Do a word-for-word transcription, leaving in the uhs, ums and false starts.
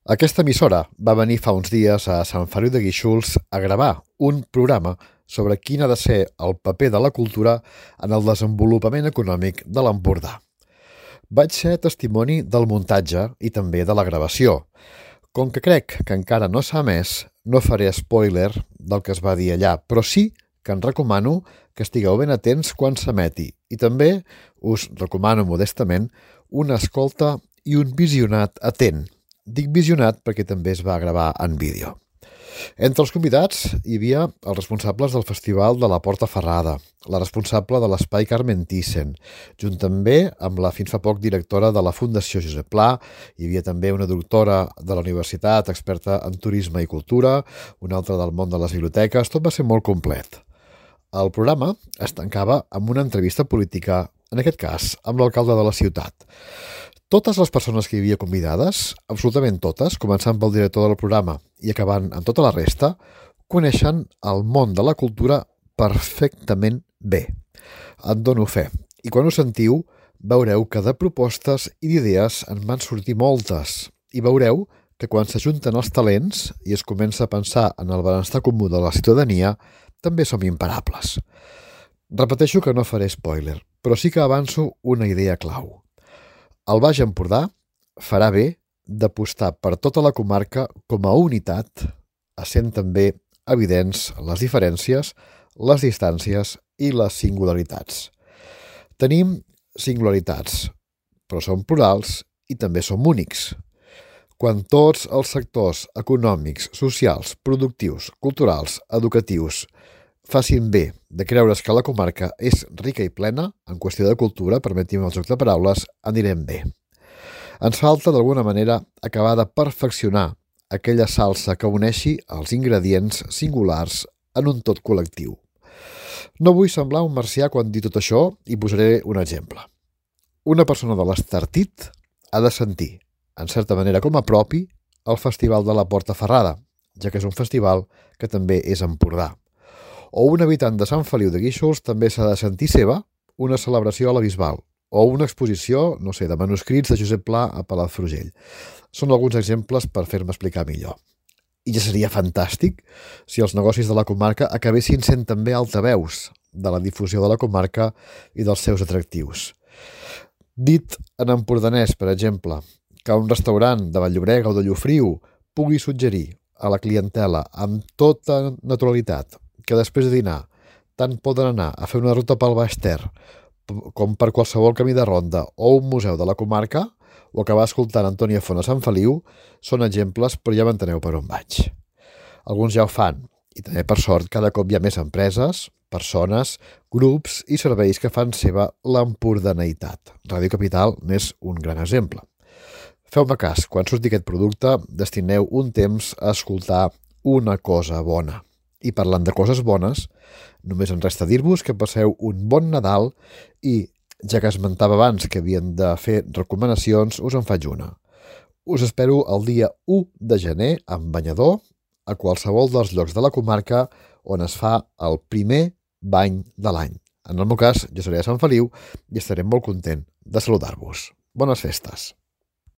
Aquesta emissora va venir fa uns dies a Sant Feliu de Guíxols a gravar un programa sobre quin ha de ser el paper de la cultura en el desenvolupament econòmic de l'Empordà. Vaig ser testimoni del muntatge i també de la gravació. Com que crec que encara no s'ha emès, no faré spoiler del que es va dir allà, però sí que en recomano que estigueu ben atents quan s'emeti i també us recomano modestament una escolta i un visionat atent. Dic visionat perquè també es va gravar en vídeo. Entre els convidats hi havia els responsables del Festival de la Porta Ferrada, la responsable de l'Espai Carmen Thyssen, junt també amb la fins fa poc directora de la Fundació Josep Pla, hi havia també una doctora de la universitat experta en turisme i cultura, una altra del món de les biblioteques, tot va ser molt complet. El programa es tancava amb una entrevista política, en aquest cas amb l'alcalde de la ciutat. Totes les persones que hi havia convidades, absolutament totes, començant pel director del programa i acabant amb tota la resta, coneixen el món de la cultura perfectament bé. En dono fe. I quan ho sentiu, veureu que de propostes i d'idees en van sortir moltes. I veureu que quan s'ajunten els talents i es comença a pensar en el benestar comú de la ciutadania, també som imparables. Repeteixo que no faré spoiler, però sí que avanço una idea clau. El Baix Empordà farà bé d'apostar per tota la comarca com a unitat, essent també evidents les diferències, les distàncies i les singularitats. Tenim singularitats, però som plurals i també som únics. Quan tots els sectors econòmics, socials, productius, culturals, educatius facin bé de creure's que la comarca és rica i plena, en qüestió de cultura, permetim el joc de paraules, anirem bé. Ens falta, d'alguna manera, acabar de perfeccionar aquella salsa que uneixi els ingredients singulars en un tot col·lectiu. No vull semblar un marcià quan dic tot això i posaré un exemple. Una persona de l'Estartit ha de sentir, en certa manera com a propi, el Festival de la Porta Ferrada, ja que és un festival que també és Empordà. O un habitant de Sant Feliu de Guíxols també s'ha de sentir seva una celebració a la Bisbal o una exposició, no sé, de manuscrits de Josep Pla a Palafrugell. Són alguns exemples per fer-me explicar millor. I ja seria fantàstic si els negocis de la comarca acabessin sent també altaveus de la difusió de la comarca i dels seus atractius. Dit en empordanès, per exemple, que un restaurant de Vall-llobrega o de Llofriu pugui suggerir a la clientela amb tota naturalitat que després de dinar tant poden anar a fer una ruta pel Baix Ter com per qualsevol camí de ronda o un museu de la comarca o acabar escoltant Antònia Font a Sant Feliu, són exemples, però ja m'enteneu per on vaig. Alguns ja ho fan, i també per sort cada cop hi ha més empreses, persones, grups i serveis que fan seva l'empordaneïtat. Ràdio Capital n'és un gran exemple. Feu-me cas, quan surti aquest producte, destineu un temps a escoltar una cosa bona. I parlant de coses bones, només em resta dir-vos que passeu un bon Nadal i, ja que esmentava abans que havien de fer recomanacions, us en faig una. Us espero el dia u de gener amb banyador a qualsevol dels llocs de la comarca on es fa el primer bany de l'any. En el meu cas, jo seré a Sant Feliu i estaré molt content de saludar-vos. Bones festes!